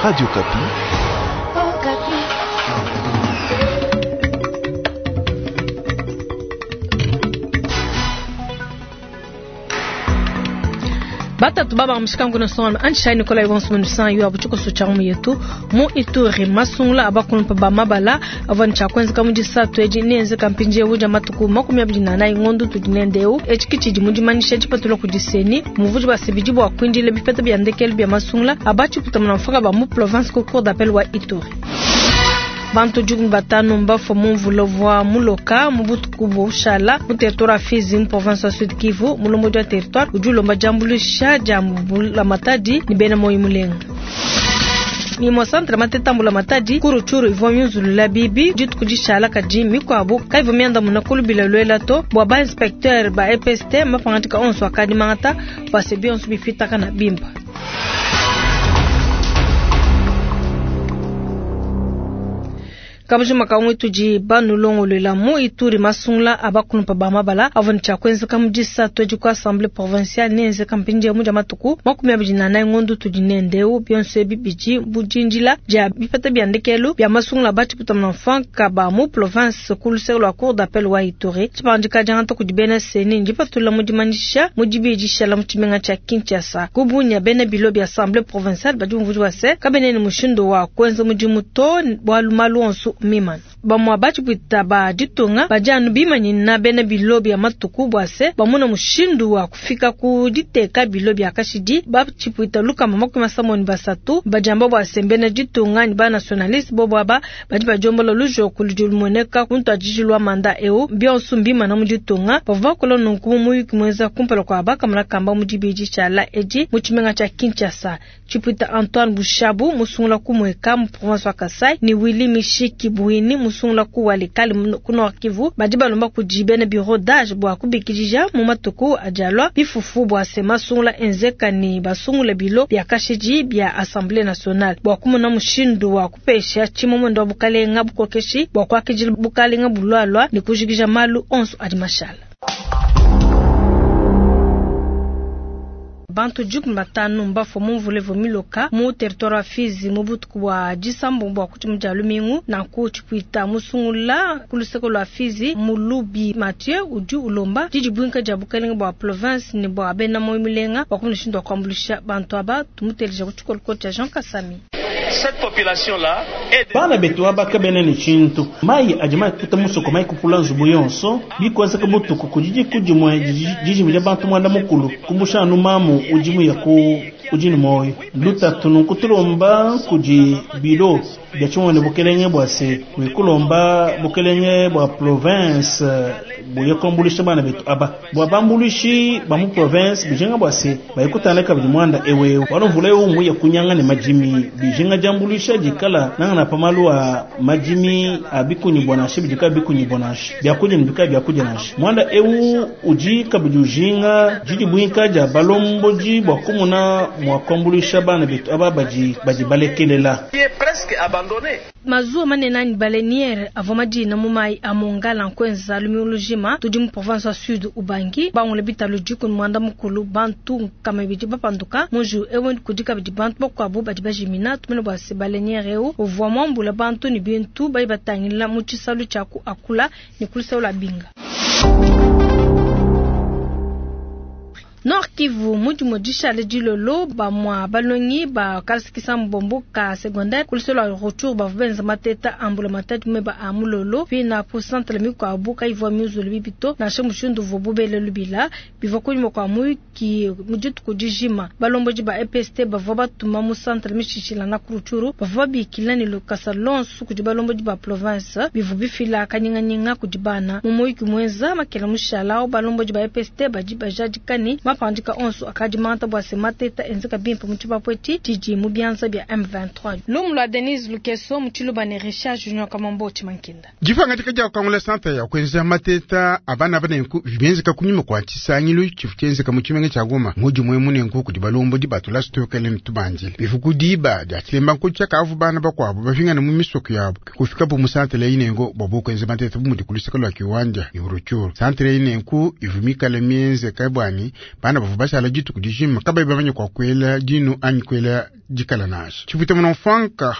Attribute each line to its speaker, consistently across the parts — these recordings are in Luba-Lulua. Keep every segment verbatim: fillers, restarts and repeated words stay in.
Speaker 1: Radio Okapi.
Speaker 2: Batatu baba mushikangu na songa anshai Nicolas Yvonne Munusan yu abuchuko socha mu yetu mu Ituri masungula abakulumpa ba mabala avon cha kwenza mu disatu eji nenze kampinje uja matuku makumi abiri na nayi ngondu tudinendeu echi kichidi mudimanisha chipatula kudiseni muvuji basibiji bwa kwindile bipeta bya ndekelu bya masungula abachi kutamana mfaka ba mu province ko cour d'appel wa Ituri. Bantu jugu batano mbafo mumvula vwa muloka mubutuku bushala mu territoire ya Fizi mu province ya Sud Kivu mulombo wa territoire ujulomba jambulisha jambula matadi ni bena moyi mulenga. Mimo centre matetambula matadi kuruchuru ivwa myunzulula bibi jitu kujishala kaji mikwabu kaivo mianda muna kulubila lwela to bwa ba inspecteur ba E P S T mapangatika onso akadi mangata base bionso bifitaka na bimba. Kabujuma kamwe tuji banulongolwela mu Ituri masungula abakulumpa ba mabala avon cha kwenza kamujisa tweji kwa assemblée provinciale nenze kampinje muja matuku makumi abiri na nayi ngondu tudi nendeu bionso bibiji bujinjila ja bipata bya ndekelu bya masungula bachi kutamna mfanka ba mu province kuluselo lwa cour d'appel wa Ituri chipandika jangata kudi bena seni njipatula mudimanyisha mudibijisha la muchimenga cha Kinshasa kubunya bena bilo bya assemblée provinciale badi mvuji wase kabene ni mushindo wa kwenza mujimuto bwalu malu onso mimana bamwa bachipwita ba ditunga bajanu bimanyina bena bilo bya matuku bwase bamuna mushindu wa kufika ku diteka bilo bya kashidi bachipwita lukama makumi masamoni basatu bajamba bwase mbena ditunga ni ba nationaliste bobo aba badi bajombola lujoku ludi lumoneka kuntu ajijilwa manda eu bionso mbimana mu ditunga bavua bakola nunku mu muyuki mweza kumpala kwa bakamala kamba mu dibidi tshiala edi mu tshimenga tshia Kinshasa. Chipwita Antoine Bushabu musungula kumweka mu province wa Kasai ni Willy Mishiki Buini musungula ku Walikale ku Nord Kivu badi balomba kudi bena bureau d'âge bwa kubikidija mu matuku ajalwa bifufu bwa se masungula enzeka ni basungula bilo bya kashidi bya Assemblée nationale bwa kumona mushindu wa kupesha chimomondo wa bukalenga bukokeshi bwa kwakijila bukalenga bulwalwa ni kujikija malu onso adi mashala. Bantu juku batanu mbafo mumvule vomiloka mu territoire wa Fizi mu butuku bwa disambo bwa kuchimu dia lumingu na ku chipwita musungula kuluseko lwa Fizi mulubi Mathieu udi ulomba didi bwinka dia bukalenga bwa province ni bwa bena moyi mulenga bwa kumushindu wa kuambulisha bantu aba tumuteleja ku tshikoloko tshia Jean Kasami.
Speaker 3: Cette population-là est
Speaker 4: Bana betu abaka bene ni chintu mai ajima kuta musoko mai kupula nzubu yonso bikwanza kabutuku kujiji kujimwe jiji mja bantu mwanda mukulu kumbusha anu mamu ujimu ya ku ujini moyo lutatu nukutulomba kuji bilo bya chimwe bukelenge bwase wikulomba bukelenge bwa province buye kombulisha bana betu aba bwa bambulishi ba mu province bijenga bwase bayikutana kabidi mwanda ewe wanomvula yo umuye kunyanga ne majimi bijenga jambulisha jikala nanga na pamalu a majimi abikunyi bwanashi bijika bikunyi bwanashi byakuja nibika byakuja nashi mwanda ewu uji kabidi ujinga jiji bwinka ja balomboji bwa kumuna mwa kombulisha bana betu aba baji baji balekelela
Speaker 3: qui est presque abandonné.
Speaker 2: Mazuwa manene ni baleniere avua madina mu mayi a mongala nkwenza lumiulujima tudi mu province wa Sud Ubangi bangule bitalu diku mwanda mukulu bantu nkama ibidi bapanduka munju ewe kudi kabidi bantu bakuabu badi bajimina tumene bua se baleniere eu uvua muambula bantu ni bintu badi batangila mu tshisalu tshia ku akula ni kuluseu lua binga. Nord Kivu mudimu dishale dilolo ba mwa balongi ba kalasikisa mbombo ka secondaire kuluselo lwa retour ba benza mateta ambula matatu meba amulolo pina pour centre mikwa abuka ivwa mizulu bibito na shemushindu vobubele lubila bivwa kunyuma kwa muyiki muditu kudijima balomboji ba E P S T bavwa batuma mu centre mishishila na kuruchuru bavwa bikila ni lukasa lonsu kudi balomboji ba province bivu bifila kanyinganyinga kudibana mu muyiki mwenza makela mushala balomboji ba E P S T baji bajadikani mapandika onso akadi manta bwa se mateta enzeka bimpe mu tshipapweti tshidi mu bianza bya M vingt-trois. Lumu lwa Denise Lukeso mu tshiluba ne Richard Junior Kamambo Tshimankinda.
Speaker 5: Jifanga tika kangula santa ya kwenza mateta abana bana nku benzeka kunyuma kwa tshisangilu tshifu tshenzeka mu tshimenga tshia Goma muji mwe munenku kudi balombo di batula stokele mtubanjile bifuku diba dia tshilemba nku tshia kavu bana bakwabo bafingana mu misoko yabo kufika bu musante le inengo bobo kwenza mateta bu mudi kuluseka lwa kiwanja ni uruchuru santre inenku ivumikale mienze kabwani Bana bavua bashala dituku dijima kabayi bamanye kua kuela dinu anyi kuela dikala nansha. Tshipuita muna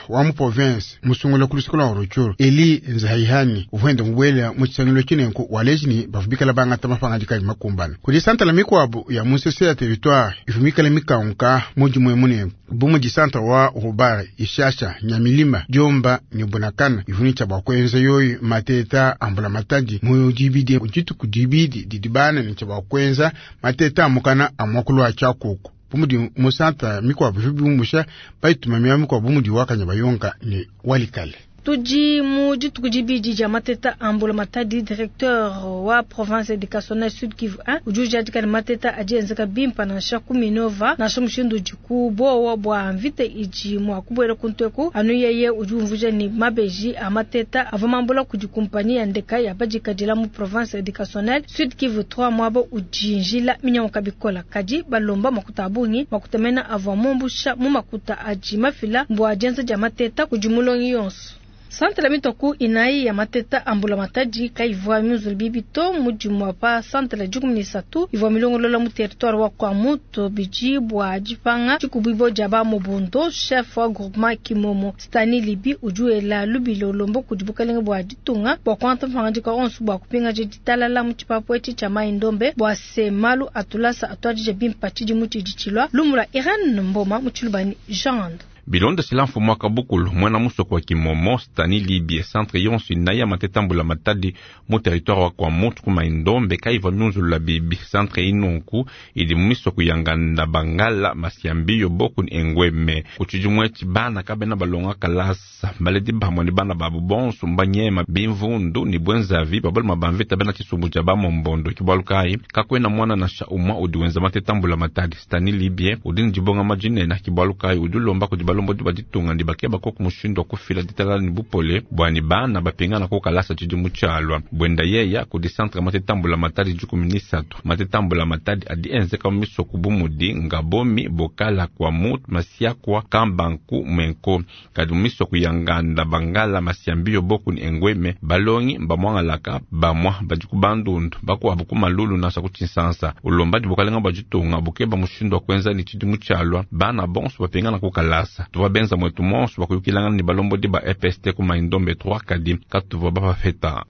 Speaker 5: wa mu province musungula ku luseke lua Rutshuru Eli Nzahihani uvua enda mubuela mu tshisangilu tshinenku waleji ni bavua bikala bangata mapangadika adi makumbana. Kudi santala mikuabu ya mu nsese ya territoire ivua mikala mikanguka mu dimue munenku bu mudi santra wa Rubare, Ishasha, Nyamilima, Diomba ne Bunakana ivua ne tshia bua kuenza yoyi mateta a mbulamatadi mu dibidi dituku dibidi didi bana ne tshia bua kuenza mateta a mukana a muakulu wa tshiakuku bu mudi mu santra mikuabu ivua biumbusha bayituma miaba mikuabu bu mudi wa Kanyabayonga ne Walikale.
Speaker 2: Tudi mu dituku dibidi dia mateta a mbulamatadi directeur wa province éducationnelle Sud Kivu un udi ujadika ne mateta adi enzeka bimpa nansha ku Minova nansha mushindu udi ku bowa bua mvita idi mua kubuela ku nteku anu yeye udi umvuija ne mabeji a mateta avua mambula kudi kumpanyi ya ndeka ya badikadila mu province éducationnelle Sud Kivu trois muaba udi njila minyanguka bikola kadi balomba makuta a bungi makuta mena avua mumbusha mu makuta adi mafila mbua dienza dia mateta kudi mulongi yonso. Santra mitoku inayi ya mateta a mbulamatadi kayivua miuzulu bibi to mudimu pa santra dikumi ne isatu ivua milongolola mu territoire wa Kwamouth bidi bua dipanga dikubibo dia ba Mobondo chef wa groupement Kimomo Stani Libi udi wela lubilo lombo kudi bukalenge bua ditunga bua kuangata mapangadika onso bua kupingaja ditalala mu tshipapu etshi tshia Mai Ndombe bua se malu atulasa atuadije bimpa tshidimu tshidi tshilua lumula Irene Mboma mu tshilubani Jean
Speaker 1: Bilondeshila mfumu wa kabukulu mwana musoko wa Kimomo Stani Libye centre yonso inayi ya mateta mbulamatadi mu territoire wa Kwamouth ku Mai-Ndombe kayivua miunzulula bibi centre inunku idi mu misoko ya Nganda Bangala Masiambiyo Boku ni Engweme ku tshidimu etshi bana kabena balonga kalasa baledi bamue ne bana babu bonso mbanyema bimvundu ni bwenzavi babaluma bamvita bena tshisumbu tshia bamombondo kibualu kayi kakwena mwana nansha umwa udi wenza mateta mbulamatadi Stani Libye udi ne dibonga majinena kibualu kayi udi ulomba kudi balombodi ba ditunga ndi bakeba koku mushindu wa kufila ditalala ni bupole bwani bana bapingana ko kalasa tshidimu tshialua bwenda yeya kudi centre mateta mbulamatadi dikumi ni isatu mateta mbulamatadi adi enzeka mu misoko bu mudi Ngabomi Bokala Kwamouth Masiakwa Kambanku Mwenko kadi mu misoko ya Nganda Bangala Masiambiyo Boku ni Engweme balongi mbamwangalaka bamwa badi ku bandundu bakuabu ku malulu nansha ku tshinsansa ulomba di bukalenga bua ditunga bukeba mushindu wa kuenza ni tshidimu tshialua bana bonso bapingana ku kalasa tuvua benza mwetu monso bakuyukilangana ni balombodi ba E P S T ku Mai-Ndombe trois kadi katuvua bapapeta.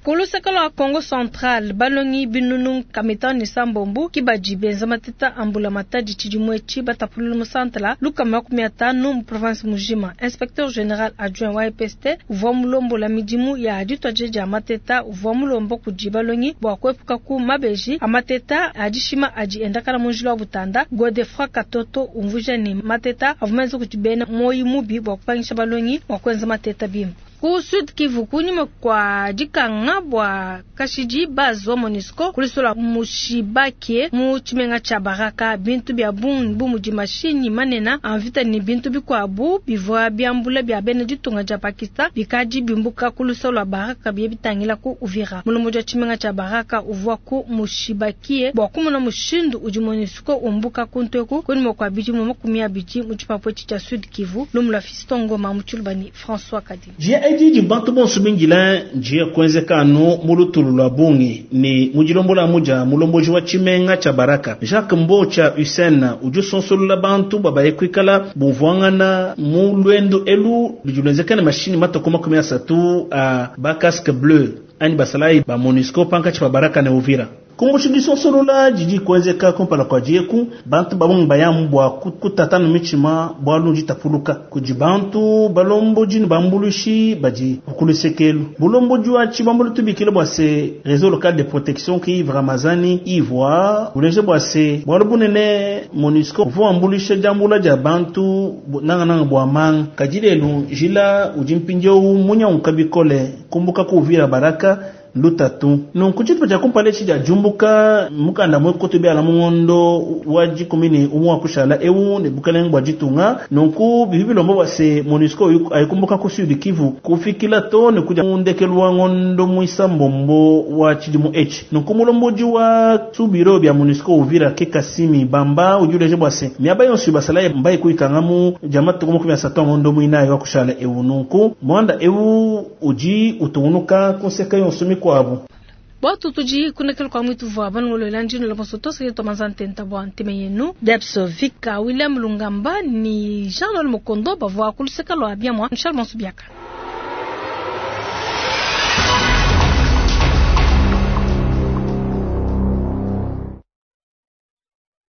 Speaker 2: Ku luseke lua Congo Central balongi binunu kamitano ne sambombu kibadi benza mateta a mbulamatadi tshidimu etshi batapulula mu santala lukama makumi atanu mu province mujima. Inspecteur général adjoint wa E P S T uvua mulombola midimu ya dituadija dia mateta uvua mulomba kudi balongi bua kuepuka ku mabeji a mateta a dishima adi endakana mu njila wa butanda. Godefroid Katoto umvuija ne mateta avua menza kudi bena moyi mubi bua kupangisha balongi bua kuenza mateta bimpe. Ku Sud Kivu kunyima kwa dikanga bua kashidi base wa MONUSCO kulisola mushibake mu tshimenga tshia Baraka bintu bia bungi bu mudi mashinyi manene a mvita ne bintu bikuabu bivua biambula bia bena ditunga dia Pakistan bikadi bimbuka kulisola Baraka bie bitangila ku Uvira. Mulombodi wa tshimenga tshia Baraka uvua ku mushibakie bua kumona mushindu udi MONUSCO umbuka kunteku kunyima kwa bidimu makumi abidi mu tshipapu etshi tshia Sud Kivu. Lumula Fiston Ngoma mu tshilubani François Kadi.
Speaker 4: Edi bantu bonso bingila njia kuenzekano mu lutulu lwa bungi ni mujilombola muja mulomboji wa tshimenga tshia Baraka Jacques Mbocha Hussein udi usonsolola bantu babaye kuikala bumvuangana mu lwendo elu ludi mashini matoko makumi asatu a ba casque bleu ani basalayi ba MONUSCO pankatshi pa Baraka ne Uvira. Kumbushi sonsolola jiji kuenzeka kumpala kwa dieku bantu babungi bayamu bua kutatana michima bua lunji tapuluka kudi bantu balomboji ne bambulushi badi kukulusekelu bulomboji wa tshibambulu tubikile bua se réseau local de protection ki Yves Ramazani Ivoire uleje bua se bua bunene MONUSCO uvua ambulisha jambula dia bantu nanga nanga bua manga kadilelu jila udi mpindieu munya unkabikole kumbuka ku Uvira Baraka lutatu nunku tshitu tshia kumpala etshi dia jumbuka mukanda mwe koto biala mungondo wa dikumi ne umwe wa kushala ewu ne bukalenge bua ditunga nunku bibi bilomba bua se MONUSCO ayikumbuka ku Sud Kivu kufikila to ne kudia mundekelu wa ngondo mwisa mbombo wa tshidimu etshi nunku mulombodi wa subiro bia MONUSCO Uvira ke Kasimi Bamba udi uleje bua se miaba yonso basalayi mbayi kuikangamu dia matuku makumi asatu a ngondo muinayi wa kushala ewu nunku mwanda ewu udi utungunuka kunseka yonso mikwabu.
Speaker 2: Bwatu tudi kunekela kwa mwitu vwa banungoloela ndino la bonso tosa yetu manza ntenta bwa nteme yenu Debs Vika William Lungamba ni Jean Noël Mokondo bavwa kuluseka lwa biamwa Charles Mansubiaka.